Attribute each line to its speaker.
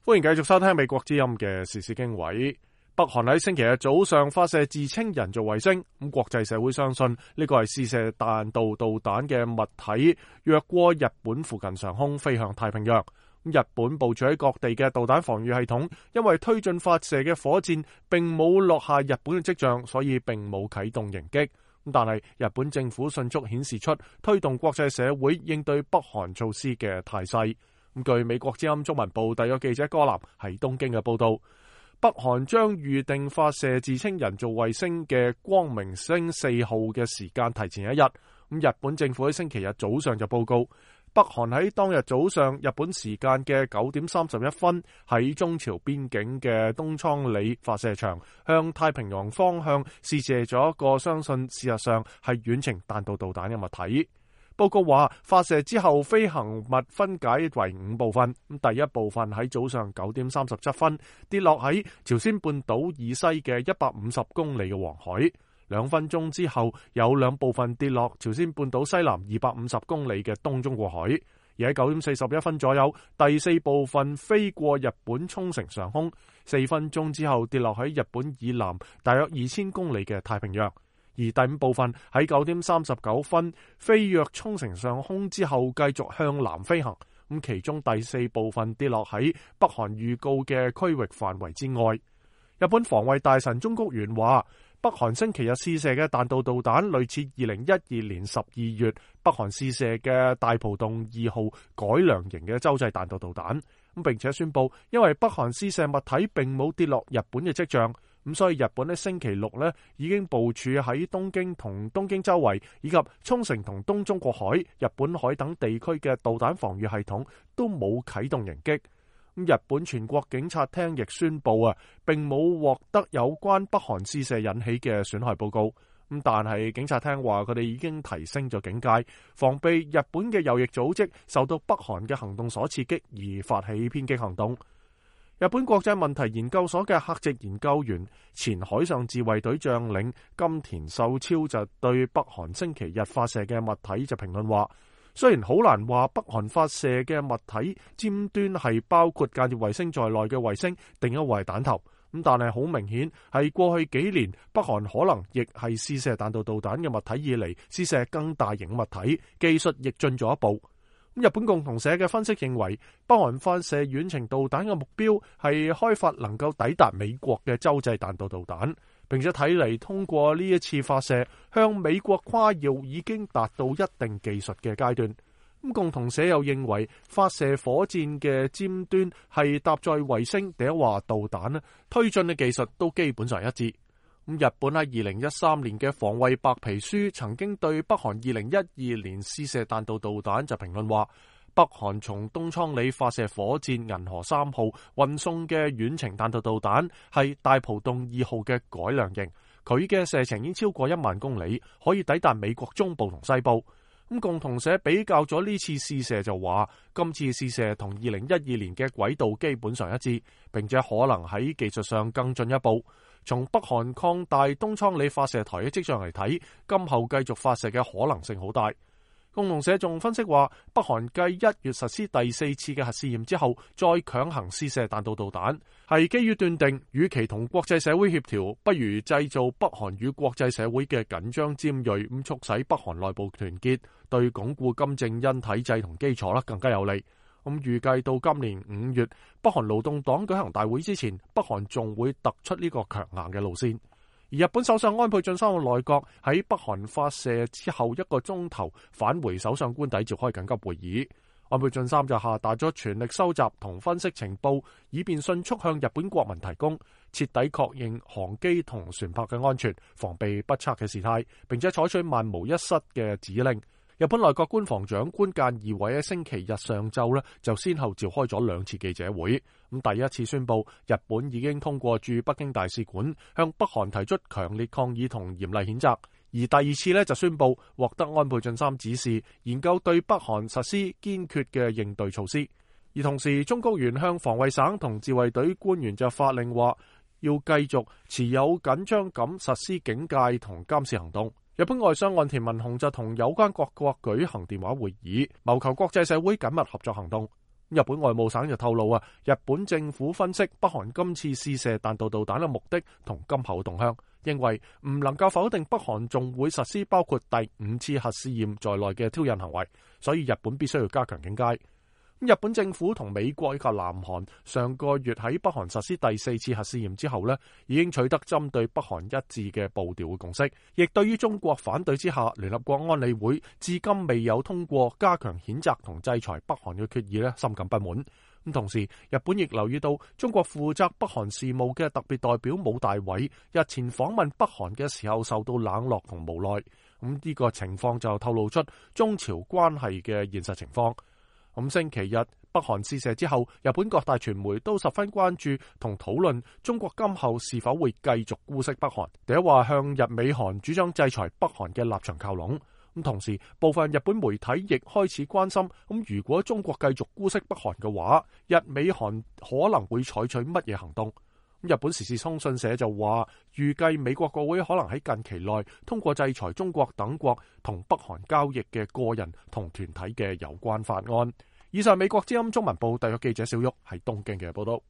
Speaker 1: 歡迎繼續收聽美國之音嘅時事經緯。北韓喺星期日早上發射自稱人造衛星，咁國際社會相信呢個係試射彈道導彈嘅物體越過日本附近上空飛向太平洋。日本部署喺各地嘅導彈防禦系統，因為推進發射嘅火箭並冇落下日本嘅跡象，所以並冇啟動迎擊。但係日本政府迅速顯示出推動國際社會應對北韓措施嘅態勢。據美國之音中文部特約記者柯南喺東京嘅報道，北韓將預定發射自稱人造衛星嘅光明星4號嘅時間提前一日。日本政府喺星期日早上就報告，北韓喺當日早上日本時間嘅9點31分喺中朝邊境嘅東倉里發射場向太平洋方向試射咗一個相信事實上係遠程彈道導彈嘅物體。報告話，發射之後飛行物分解為5部分，第一部分喺早上9點37分跌落喺朝鮮半島以西嘅150公里嘅黃海，2分鐘之後有2部分跌落朝鮮半島西南250公里嘅東中國海，而喺9點41分左右，第4部分飛過日本沖繩上空，4分鐘之後跌落喺日本以南大約2000公里嘅太平洋。而第5部分喺9點39分飛越沖繩上空之後繼續向南飛行，咁其中第4部分跌落喺北韓預告嘅區域範圍之外。日本防衛大臣中谷元話，北韓星期日試射嘅彈道導彈類似2012年12月北韓試射嘅大浦洞2號改良型嘅洲際彈道導彈，並且宣布因為北韓試射物體並冇跌落日本嘅跡象，咁所以日本喺星期六已經部署喺東京同東京周圍以及沖繩同東中國海、日本海等地區嘅導彈防禦系統都冇啟動迎擊。日本全國警察廳亦宣布並冇獲得有關北韓試射引起嘅損害報告。但係警察廳話佢哋已經提升咗警戒，防備日本嘅右翼組織受到北韓嘅行動所刺激而發起偏激行動。日本國際問題研究所嘅客席研究員、前海上自衛隊將領金田秀超就對北韓星期日發射嘅物體就評論話，雖然好難話北韓發射嘅物體尖端係包括間諜衛星在內嘅衛星，定一位彈頭，但係好明顯係過去幾年北韓可能亦係試射彈道導彈嘅物體以嚟試射更大型物體，技術亦進咗一步。日本共同社嘅分析認為，北韓發射遠程導彈嘅目標係開發能夠抵達美國嘅洲際彈道導彈，並且睇嚟通過呢一次發射向美國誇耀已經達到一定技術嘅階段。共同社又認為發射火箭嘅尖端係搭載衛星，定係話導彈推進嘅技術都基本上一致。日本喺2013年嘅防衛白皮書曾經對北韓2012年試射彈道導彈就評論話，北韓從東倉里發射火箭銀河3號運送嘅遠程彈道導彈係大浦洞2號嘅改良型，佢嘅射程已經超過1萬公里，可以抵達美國中部同西部。共同社比較咗呢次試射就話，今次試射同2012年嘅軌道基本上一致，並且可能喺技術上更進一步。從北韓擴大東倉里發射台嘅跡象嚟睇，今後繼續發射嘅可能性好大。共同社仲分析話，北韓繼1月實施第4次嘅核試驗之後，再強行試射彈道導彈，係基於斷定，與其同國際社會協調，不如製造北韓與國際社會嘅緊張尖銳，咁促使北韓內部團結，對鞏固金正恩體制同基礎更加有利。預計到今年5月，北韓勞動黨舉行大會之前，北韓仲會突出呢個強硬嘅路線。而日本首相安倍晉三嘅內閣喺北韓發射之後1個鐘頭返回首相官邸召開緊急會議，安倍晉三就下達咗全力收集同分析情報，以便迅速向日本國民提供，徹底確認航機同船舶嘅安全，防備不測嘅事態，並且採取萬無一失嘅指令。日本內閣官房長官菅義偉喺星期日上晝就先後召開咗2次記者會。第一次宣布日本已經通過駐北京大使館向北韓提出強烈抗議同嚴厲譴責，而第二次就宣布獲得安倍晉三指示，研究對北韓實施堅決嘅應對措施。而同時，中谷元向防衛省同自衛隊官員就發令話，要繼續持有緊張咁實施警戒同監視行動。日本外相岸田文雄就同有關各國舉行電話會議，謀求國際社會緊密合作行動。日本外務省就透露日本政府分析北韓今次試射彈道導彈嘅目的同今後動向，認為唔能夠否定北韓仲會實施包括第5次核試驗在內嘅挑釁行為，所以日本必須要加強警戒。日本政府同美國以及南韓上個月喺北韓實施第4次核試驗之後已經取得針對北韓一致嘅步調嘅共識，亦對於中國反對之下，聯合國安理會至今未有通過加強譴責同制裁北韓嘅決議深感不滿。咁同時，日本亦留意到中國負責北韓事務嘅特別代表武大偉日前訪問北韓嘅時候受到冷落同無奈。呢個情況就透露出中朝關係嘅現實情況。星期日北韓試射之後，日本各大傳媒都十分關注同討論中國今後是否會繼續姑息北韓。第一話向日美韓主張制裁北韓嘅立場靠攏。同時部分日本媒體亦開始關心，如果中國繼續姑息北韓嘅話，日美韓可能會採取乜嘢行動？日本時事通訊社就話，預計美國國會可能喺近期內通過制裁中國等國同北韓交易嘅個人同團體嘅有關法案。以上美國之音中文部特約記者小玉喺東京嘅報道。